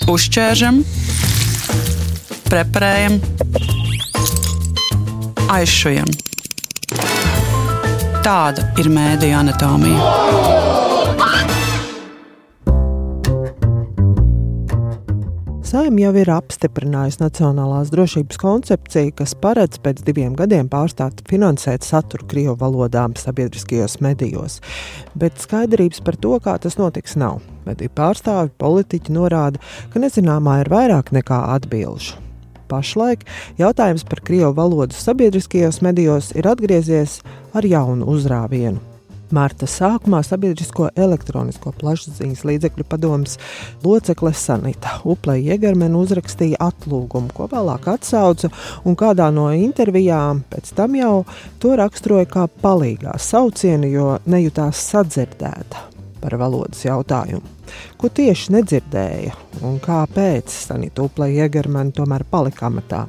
Uzķēršam, preparējam, aizšujam. Tāda ir mēdīju anatomija. Saeima jau ir apstiprinājusi Nacionālās drošības koncepciju, kas paredz pēc 2 gadiem pārstāt finansēt saturu krievu valodā sabiedriskajos medijos. Bet skaidrības par to, kā tas notiks, nav. Mediju pārstāvi, politiķi norāda, ka nezināmā ir vairāk nekā atbilžu. Pašlaik jautājums par krievu valodu sabiedriskajos medijos ir atgriezies ar jaunu uzrāvienu. Marta sākumā sabiedrisko elektronisko plašsaziņas līdzekļu padomes locekle Sanita Uple-Jegermene uzrakstīja atlūgumu, ko vēlāk atsauca, un kādā no intervijām pēc tam jau to raksturoja kā palīgā saucienu, jo nejutās sadzirdēta par valodas jautājumu. Ko tieši nedzirdēja un kāpēc Sanita Uple-Jegermene tomēr palika amatā?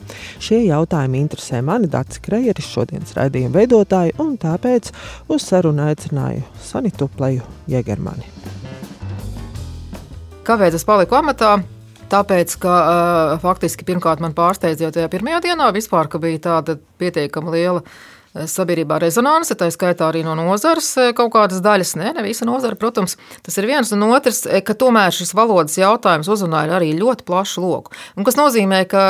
Šie jautājumi interesē mani, Daci Kreieris, šodienas raidījuma veidotāju, un tāpēc uz sarunu aicināju Sanitu Uple-Jegermeni. Kāpēc es paliku amatā? Tāpēc, ka faktiski pirmkārt man pārsteidz jau tajā pirmajā dienā vispār, ka bija tāda pietiekama liela sabiedrībā rezonanse, tā skaitā arī no nozares kaut kādas daļas, ne visa nozara, protams, tas ir viens, un otrs, ka tomēr šis valodas jautājums uzrunāja arī ļoti plašu loku. Un kas nozīmē, ka,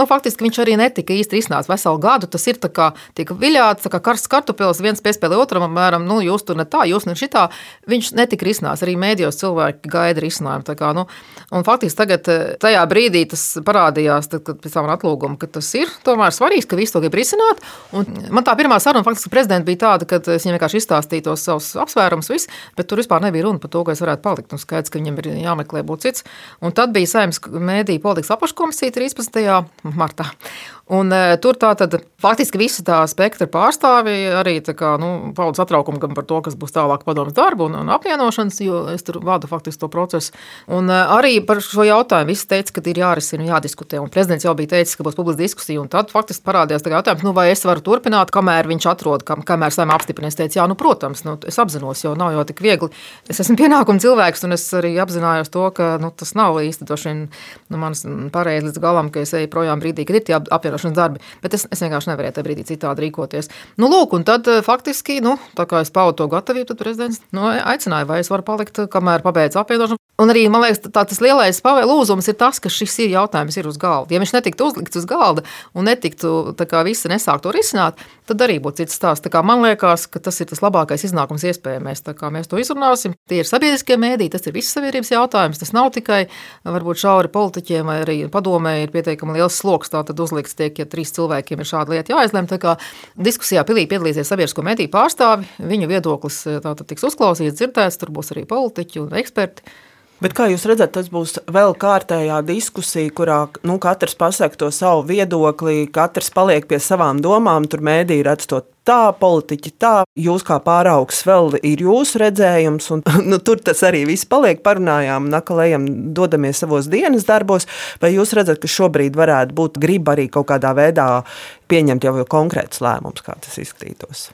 faktiski viņš arī netika īsti risināts veselu gadu, tas ir tā kā tika viļāts, tā kā karsts kartupils, viens piespēlē otram, apmēram, jūs tur ne tā, jūs ne šitā, viņš netika risināts, arī mēdījos cilvēki gaida risinājumu, tā kā, un faktiski tagad tajā brīdī tas parādījās, tad, kad pēc tam atlūguma, ka tas ir tomēr svarīgs, ka visu to grib risināt, un man tā pirmā saruna faktiski prezidenta bija tāda, ka es viņam vienkārši izstāstīju tos savus apsvērumus, bet tur vispār nebija runa par to, ka es varētu palikt. Un skaidrs, ka viņam ir jāmeklē būt cits. Un tad bija Saeimas mēdīju politikas apakškomisija 13. martā. Un tur tātad faktiski visa tā spektra pārstāvi arī pauda satraukumu gan par to, kas būs tālāk padomas darbu un apvienošanas, jo es tur vadu faktiski to procesu. Un arī par šo jautājumu visi teica, ka ir jārisina un jādiskutē. Un prezidents jau bija teicis, ka būs publiska diskusija. Un tad faktiski parādījās tā jautājums, vai es varu turpināt, kamēr viņš atrod, kamēr Saeima apstiprina. Es teicu, protams, es apzinos, jo nav jau tik viegli. Es esmu pienākuma cilvēks, un es arī apzinājos to, ka tas nav īsti manas pareizi līdz galam, ka es eju projām brīdī, kad ir tie apvienošanas darbi, bet es vienkārši nevarēju tajā brīdī citādi rīkoties. Lūk, un tad faktiski, tā kā es paudu to gatavību, tad prezidents aicināja, vai es varu palikt, kamēr pabeidz apvienošanu. Un arī, man liekas, tas lielais lūzums ir tas, ka šis jautājums ir uz galda. Ja viņš netiktu uzlikts uz galda un netiktu, visi nesāk to risināt, tad arī būtu cits stāsts. Man liekas, ka tas ir tas labākais iznākums iespējamais. Mēs to izrunāsim. Tie ir sabiedriskie mēdīji, tas ir visas sabiedrības jautājums. Tas nav tikai varbūt šauri politiķiem vai arī padomē ir pietiekami liels sloks, tātad uzlikts tiek, ja 3 cilvēkiem ir šāda lieta jāizlem. Diskusijā pilnīgi piedalīsies sabiedrisko mēdīju pārstāvi, viņu viedoklis tātad tiks uzklausīts, dzirdēts, tur būs arī politiķi un eksperti. Bet kā jūs redzat, tas būs vēl kārtējā diskusija, kurā katrs pasaka to savu viedokli, katrs paliek pie savām domām, tur mēdīji redz to tā, politiķi tā, jūs kā pāraugs vēl ir jūsu redzējums, un tur tas arī viss paliek, parunājām, nakalējam, dodamies savos dienas darbos, vai jūs redzat, ka šobrīd varētu būt griba arī kaut kādā veidā pieņemt jau konkrētus lēmumus, kā tas izskatītos?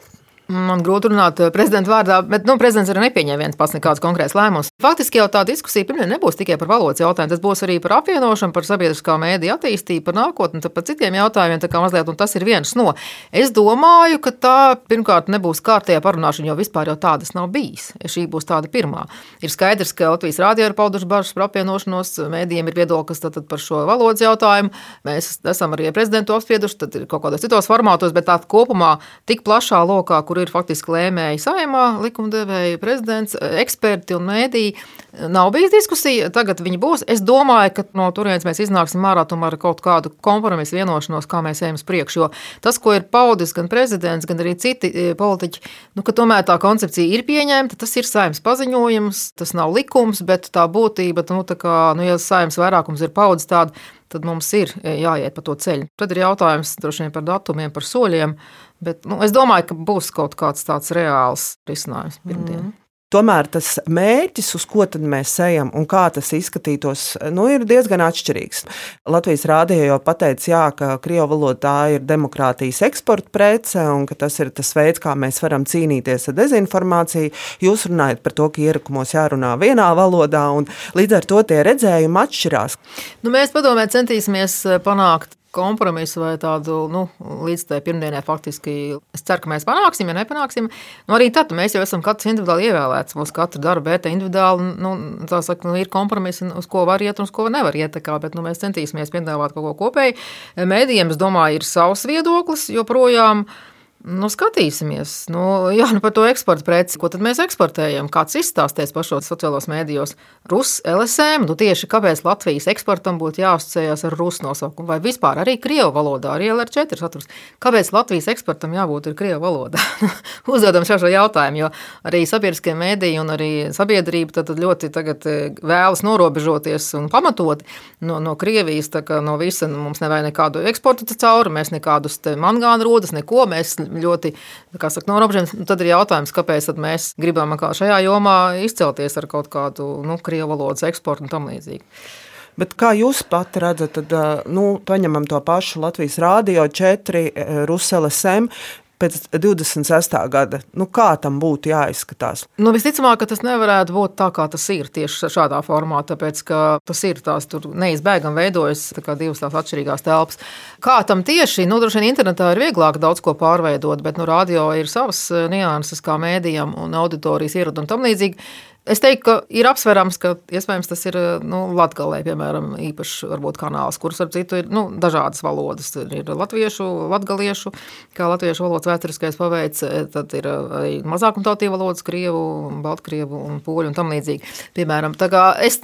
Man grūti runāt prezidenta vārdā, bet prezidents arī nepieņem viens pats nekāds konkrēts lēmums. Faktiski jau tā diskusija pirmie nebūs tikai par valodas jautājumu, tas būs arī par apvienošanu, par sabiedriskā mēdīja attīstību, par nākotni, par citiem jautājumiem, mazliet, un tas ir viens no. Es domāju, ka tā pirmkārt nebūs kārtējā parunāšana, jo vispār jau tādas nav bijis. Šī būs tāda pirmā. Ir skaidrs, ka Latvijas rādio ir pauduši bažas par apvienošanos, mēdījiem ir viedoklis par šo valodas jautājumu. Mēs esam arī prezidentu apsprieduši, tad ir kaut kādos citos formātos, bet tā kopumā tik plašā lokā, kur ir faktiski lēmēji Saeimā, likumdevēji, prezidents, eksperti un mēdīji. Nav bijis diskusija, tagad viņi būs. Es domāju, ka no turienes mēs iznāksim ārā tomēr kaut kādu kompromisu vienošanos, kā mēs ejam uz priekšu, jo tas, ko ir paudis gan prezidents, gan arī citi politiķi, ka tomēr tā koncepcija ir pieņemta, tas ir Saeimas paziņojums, tas nav likums, bet tā būtība, ja Saeimas vairākums ir paudis tādu, tad mums ir jāiet pa to ceļu. Tad ir jautājums droši vien par datumiem, par soļiem, bet es domāju, ka būs kaut kāds tāds reāls risinājums pirmdien. tomēr tas mērķis, uz ko tad mēs ejam un kā tas izskatītos, ir diezgan atšķirīgs. Latvijas rādio jau pateica, jā, ka krievu valoda tā ir demokrātijas eksporta prece un ka tas ir tas veids, kā mēs varam cīnīties ar dezinformāciju. Jūs runājat par to, ka ierakumos jārunā vienā valodā un līdz ar to tie redzējumi atšķirās. Mēs padomē centīsimies panākt kompromisu vai tādu, līdz tai pirmdienai faktiski. Es ceru, ka mēs panāksim, ja nepanāksim. Arī tad mēs jau esam katrs individuāli ievēlēts. Mums katra darba vērtē individuāli, ir kompromisi, uz ko var iet un uz ko nevar iet. Bet mēs centīsimies piedāvāt kaut ko kopēju. Mēdījiem, es domāju, ir savs viedoklis, joprojām. Skatīsimies. Par to eksporta preci. Ko tad mēs eksportējam? Kāds izstāsties pašos sociālos mēdījos? Rus, LSM. Tieši kāpēc Latvijas eksportam būtu jāasociējas ar Rusu nosaukumu? Vai vispār arī krievu valodā, arī LR4 saturs? Kāpēc Latvijas eksportam jābūt ir krievu valodā? Uzdodam šo jautājumu, jo arī sabiedriskie mēdīji un arī sabiedrība tad ļoti tagad vēlas norobežoties un pamatot no Krievijas, no visa mums nevajag nekādu eksportu cauri, mēs nekādus mangāna rodas, neko, mēs ļoti, norobežamies. Tad ir jautājums, kāpēc tad mēs gribam šajā jomā izcelties ar kaut kādu krievu valodas eksportu un tam līdzīgi. Bet kā jūs pati redzat, tad, paņemam to pašu Latvijas Rādio 4, Rus LSM, pēc 26. gada, kā tam būtu jāizskatās? Visticamāk, ka tas nevarētu būt tā, kā tas ir tieši šādā formā, tāpēc, ka tas ir tur neizbēgam veidojas divas tās atšķirīgās telpas. Kā tam tieši, droši vien internetā ir vieglāk daudz ko pārveidot, bet radio ir savas nianses kā mēdījam un auditorijas ieradu un tam līdzīgi. Es teiktu, ka ir apsverams, ka iespējams tas ir Latgalē, piemēram, īpaši varbūt kanāls, kurus ar citu ir dažādas valodas. Ir latviešu, latgaliešu, kā latviešu valodas vēsturiskais paveids, tad ir arī mazākumtautību valodas, krievu, baltkrievu un poļu un tam līdzīgi. Piemēram,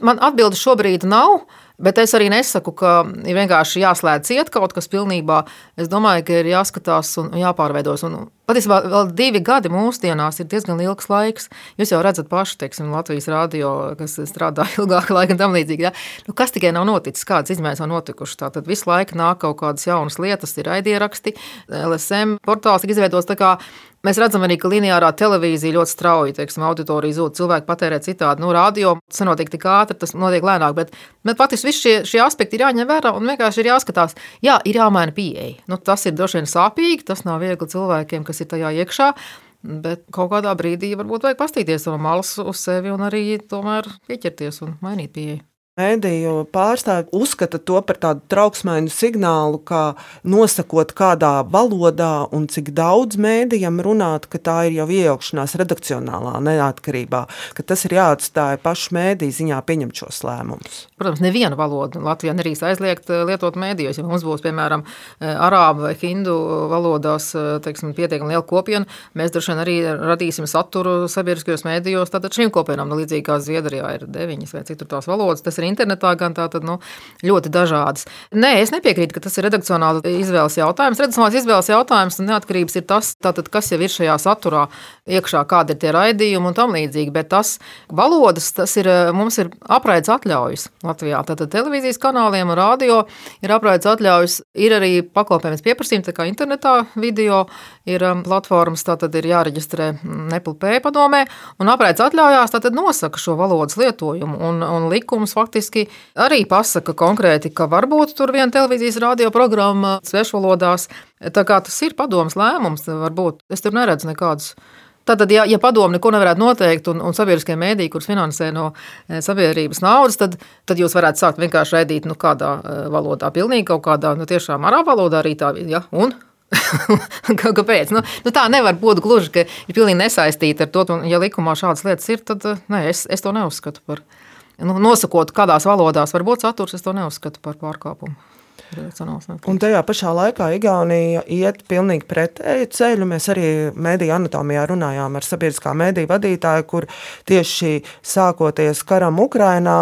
man atbildi šobrīd nav, bet es arī nesaku, ka ir vienkārši jāslēdz ciet kaut kas pilnībā. Es domāju, ka ir jāskatās un jāpārveidos. Un patiesībā vēl 2 gadi mūsdienās ir diezgan ilgs laiks. Jūs jau redzat paši, teiksim, Latvijas Rādio, kas strādā ilgāku laiku un tam līdzīgi. Ja? Kas tikai nav noticis, kādas izmaiņas nav notikušas. Tātad visu laiku nāk kaut kādas jaunas lietas, ir raidieraksti, LSM portāls tika izveidots tā kā. Mēs redzam arī, ka lineārā televīzija ļoti strauji, teiksim, auditorija zūd, cilvēki patērē citādi. Radio tas nenotiek tik ātri, tas notiek lēnāk, bet patiesībā visi šie aspekti ir jāņem vērā un vienkārši ir jāskatās. Jā, ir jāmaina pieeja. Tas ir droši vien sāpīgi, tas nav viegli cilvēkiem, kas ir tajā iekšā, bet kaut kādā brīdī varbūt vajag pastīties no malas uz sevi un arī tomēr pieķerties un mainīt pieeju. Mēdīju pārstāvji uzskata to par tādu trauksmainu signālu, kā nosakot kādā valodā un cik daudz mēdījam runāt, ka tā ir jau iejaukšanās redakcionālā neatkarībā, ka tas ir jāatstāja pašu mēdīju ziņā pieņemt šos lēmumus. Protams, neviena valoda Latvijā nerīs aizliegt lietot mēdījos. Ja mums būs, piemēram, arābu vai hindu valodās, teiksim, pietiekami liela kopiena, mēs droši vien arī radīsim saturu sabiedriskajos mēdījos, tātad šīm kopienām, līdzīgi kā Zviedrijā ir 9 vai citur tās valodas, tas ir internetā gan tātad, ļoti dažādas. Nē, es nepiekrītu, ka tas ir redakcionāls izvēles jautājums. Redakcionāls izvēles jautājums un neatkarības ir tas, tātad, kas jau ir šajā saturā iekšā, kādi ir tie raidījumi un tam līdzīgi, bet tas valodas, tas ir, mums ir apraides atļaujas Latvijā. Tātad televīzijas kanāliem un radio ir apraides atļaujas, ir arī pakalpojums pieprasījumi, tā kā internetā video ir platformas, tātad ir jāreģistrē NEPLP padomē, un apraides atļaujās tātad nosaka šo valodas lietojumu, un likums faktiski arī pasaka konkrēti, ka varbūt tur viena televīzijas radio programma svešvalodās, tā kā tas ir padomas lēmums, varbūt, es tur neredzu nekādus. Tātad, ja padomu neko nevarētu noteikt un sabiedriskie mēdīji, kurus finansē no sabiedrības naudas, tad jūs varētu sākt vienkārši raidīt kādā valodā, pilnīgi kaut kādā, tiešām arābu valodā arī tā, ja, un? Kāpēc? Tā nevar būt gluži, ka ir pilnīgi nesaistīta ar to, un ja likumā šādas lietas ir, tad nē, es to neuzskatu par, nosakot, kādās valodās var būt saturs, es to neuzskatu par pārkāpumu. Un tajā pašā laikā Igaunija iet pilnīgi pretēju ceļu. Mēs arī mediju anatomijā runājām ar sabiedriskā mediju vadītāju, kur tieši sākoties karam Ukrainā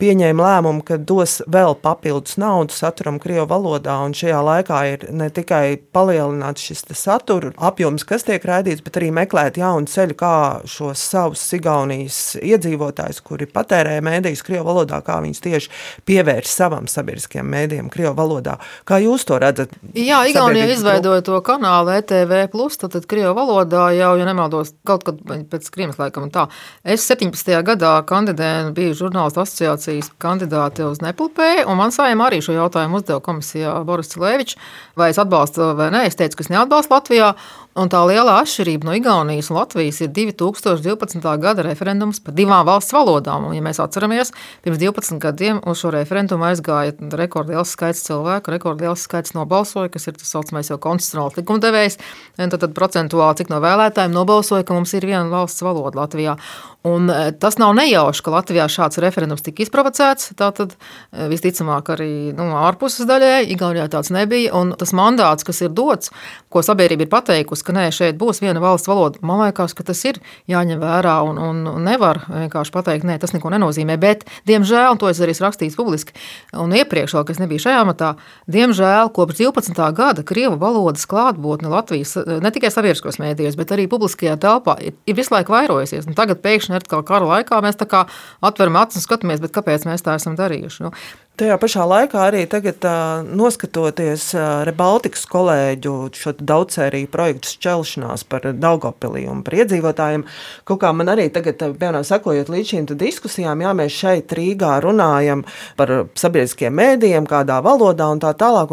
pieņēma lēmumu, ka dos vēl papildus naudu saturam krievu valodā, un šajā laikā ir ne tikai palielināts šis satura apjoms, kas tiek raidīts, bet arī meklēt jaunu ceļu, kā šos savus Igaunijas iedzīvotājus, kuri patērē medijas krievu valodā, kā viņus tieši pievērš savam sabiedriskajam medijam krievu valodā. valodā. Kā jūs to redzat? Jā, Igaunija izveidoja to kanālu ETV+, tad krievu valodā jau, ja nemaldos, kaut kad pēc Kriemas laikam un tā. Es 17. gadā kandidēju, biju žurnālistu asociācijas kandidāte uz Nepulpēju, un man Saeima arī šo jautājumu uzdeva komisijā Boris Cilēvičs, vai es atbalstu vai nē. Es teicu, ka es neatbalstu Latvijā. Un tā lielā atšķirība no Igaunijas un Latvijas ir 2012. gada referendums par divām valsts valodām. Un, ja mēs atceramies, pirms 12 gadiem uz šo referendumu aizgāja rekordliels skaits cilvēku, rekordliels skaits nobalsoja, kas ir tas saucamais jau konstitucionāls likumdevējs. Tad procentuāli, cik no vēlētājiem nobalsoja, ka mums ir viena valsts valoda Latvijā. Un tas nav nejauši, ka Latvijā šāds referendums tika izprovocēts. Tātad visticamāk arī ārpuses daļai, Igaunijā tāds nebija. Un tas mandāts, kas ir dots, ko sabiedrība ir pateikusi, ka nē, šeit būs viena valsts valoda, man liekas, ka tas ir jāņem vērā un nevar vienkārši pateikt, nē, tas neko nenozīmē. Bet, diemžēl, un to es arī rakstīju publiski, un iepriekš vēl, ka es nebiju šajā matā, diemžēl, kopš 12. gada krievu valodas klātbūtne Latvijas, ne tikai sabiedriskos mēdījos, bet arī publiskajā telpā ir visu laiku vairojusies. Un tagad pēkšņi atkal kara laikā mēs tā kā atveram acis un skatāmies, bet kāpēc mēs tā esam darījuši? Tajā pašā laikā arī tagad noskatoties Rebaltikas kolēģu šo daudzsēriju projektu šķelšanās par Daugavpilī un par iedzīvotājiem, kaut kā man arī tagad, piemēram, sakojot līdz šīm diskusijām, jā, mēs šeit Rīgā runājam par sabiedriskiem mēdījiem, kādā valodā un tā tālāk,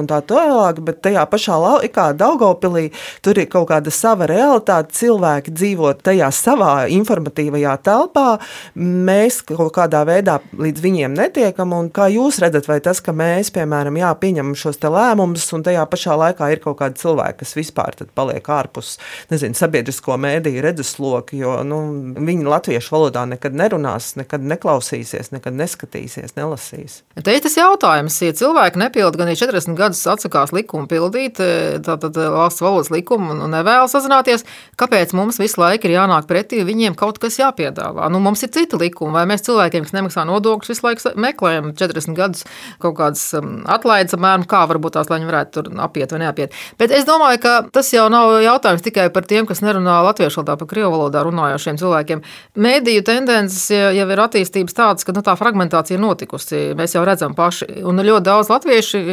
bet tajā pašā laikā Daugavpilī tur ir kaut kāda sava realitāte, cilvēki dzīvo tajā savā informatīvajā telpā, mēs kaut kādā veidā līdz viņiem netiekam, un kā jūs redzat, vai tas, ka mēs, piemēram, pieņemam šos te lēmumus, un tajā pašā laikā ir kaut kādi cilvēki, kas vispār tad paliek ārpus, sabiedrisko mēdīju redzesloku, jo, viņi latviešu valodā nekad nerunās, nekad neklausīsies, nekad neskatīsies, nelasīs. Te ir tas jautājums, ja cilvēki nepilda gan 40 gadus atsakās likumu pildīt, tātad valsts valodas likumu un nevēlas sazināties, kāpēc mums visu laiku ir jānāk pretī, viņiem kaut kas jāpiedāvā? Mums ir citi likumi, vai mēs cilvēkiem, kas nemaksā nodokļus, visu laiku meklējam 40 gadus kaut kādas atlaides, apmēram, kā varbūt tās, lai viņi varētu tur apiet vai neapiet. Bet es domāju, ka tas jau nav jautājums tikai par tiem, kas nerunā latviešu valodā, par krievu valodā runājošiem cilvēkiem. Mēdīju tendences jau ir attīstības tādas, ka tā fragmentācija ir notikusi. Mēs jau redzam paši. Un ļoti daudz latvieši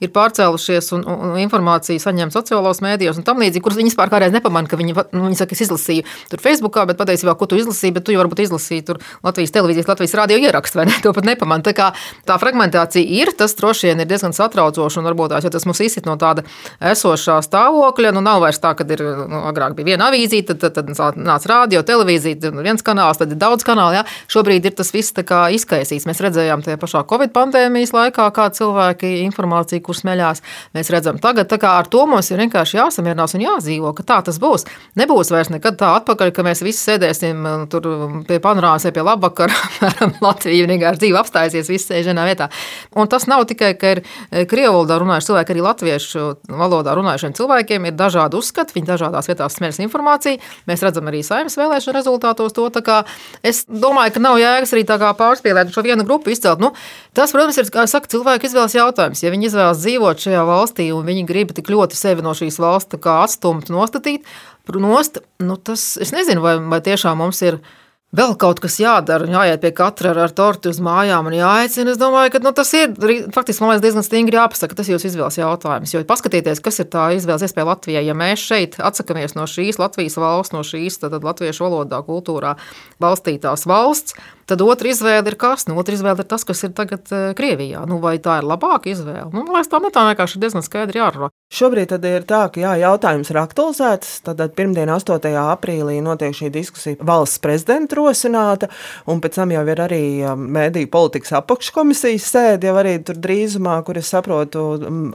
ir pārcēlušies un informāciju saņem sociālos mēdījos un tam līdzīgi, kurus viņi vispār kādreiz nepamana, ka viņi saka, es izlasīju tur Facebookā, bet patiesībā, ko tu izlasīji, bet tu jau varbūt izlasīji tur Latvijas televīzijas, Latvijas radio ierakstu, vai ne? To pat nepamana. Tā kā tā fragmentācija ir, tas droši vien ir diezgan satraucoši un varbūt tās, jo tas mums izsit no tāda esošā stāvokļa, nav vairs tā, kad ir, agrāk bija viena avīzīte, tad nāca radio, televīzija, viens kanāls, tad ir daudz kanāli, jā. Šobrīd ir tas viss tā kā izkaisīts. Mēs redzējām tajā pašā Covid pandēmijas laikā, kā cilvēki informāciju, kur smeļās. Mēs redzam tagad, tā kā ar to mums ir vienkārši jāsamierinās un jāzīvo, ka tā tas būs. Nebūs vairs nekad tā atpakaļ, ka mēs visi sēdēsim tur pie panorāmas, pie labvakara, Latvija vienkārši dzīve apstājusies, visi sēž vienā vietā. Un tas nav tikai, ka ir krievu valodā runājuši cilvēki, arī latviešu valodā runājušiem cilvēkiem ir dažādi uzskati, viņi dažādās vietās smeļas informāciju. Mēs redzam arī Saeimas vēlēšanu rezultātos to, tā kā es domāju, ka nav jēgas arī tā kā pārspīlēt šo vienu grupu izcelt. Tas, protams, ir, kā saka, cilvēku izvēles jautājums. Ja viņi izvēlas dzīvot šajā valstī un viņi grib tik ļoti sevi no šīs valsts kā atstumt, nostatīt, tas, es nezinu, vai tiešām mums ir vēl kaut kas jādara, jāiet pie katra ar torti uz mājām un jāaicina. Es domāju, ka tas ir faktiski, man liekas, diezgan stingri jāpasaka, tas ir jūsu izvēles jautājums. Jo paskatieties, kas ir tā izvēles iespēja Latvijai. Ja mēs šeit atsakamies no šīs Latvijas valsts, no šīs tad latviešu valodā, kultūrā balstītās valsts, tad otra izvēle ir kas? Otra izvēle ir tas, kas ir tagad Krievijā. Vai tā ir labāka izvēle? Man liekas, tā vienkārši ir diezgan skaidri jārunā. Šobrīd tad ir tā, ka jautājums ir aktualizēts. Tad pirmdien 8. aprīlī notiek šī diskusija valsts prezidenta rosināta, un pēc tam jau ir arī mēdīju politikas apakškomisijas sēde, jau arī tur drīzumā, kur es saprotu,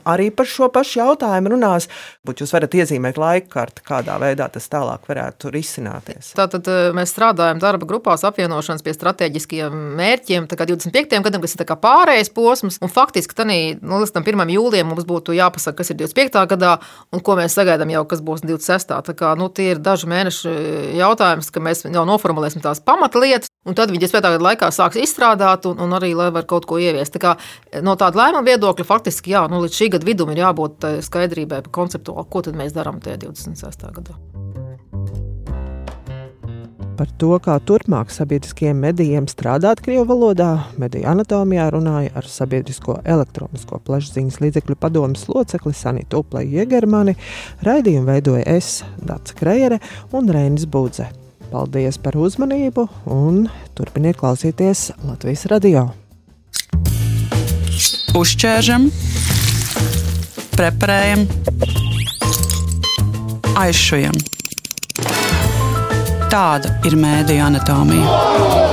arī par šo pašu jautājumu runās. Bet jūs varat iezīmēt laikkarti, kādā veidā tas tālāk varētu risināties. Tātad mēs strādājam darba grupās apvienošanas pie strateģiskiem mērķiem, tā kā 25. gadam, kas ir tā kā pārējais posms, un faktiski līdz tam 1. jūlijam mums būtu jāpasaka, kas ir 25. gadā, un ko mēs sagaidām jau, kas būs 26. Tā kā, tie ir daži mēneši jautājums, ka mēs jau noformulēsim tās pamatlietas, un tad viņi 25. gada laikā sāks izstrādāt, un arī, lai var kaut ko ieviest. Tā kā no tāda lēmuma viedokļa faktiski, līdz šī gada vidum ir jābūt skaidrībai par konceptuāli, ko tad mēs darām tajā 26. gadā. Par to, kā turpmāk sabiedriskajiem medijiem strādāt krievu valodā, mediju anatomijā runāja ar Sabiedrisko elektronisko plašsaziņas līdzekļu padomes locekli Sanitu Uplei-Jegermani. Raidījumu veidoja es, Dace Krejere un Reinis Budze. Paldies par uzmanību un turpiniet klausīties Latvijas radio. Uzķēršam, preparējam, aizšujam. Tāda ir mēdiju anatomija.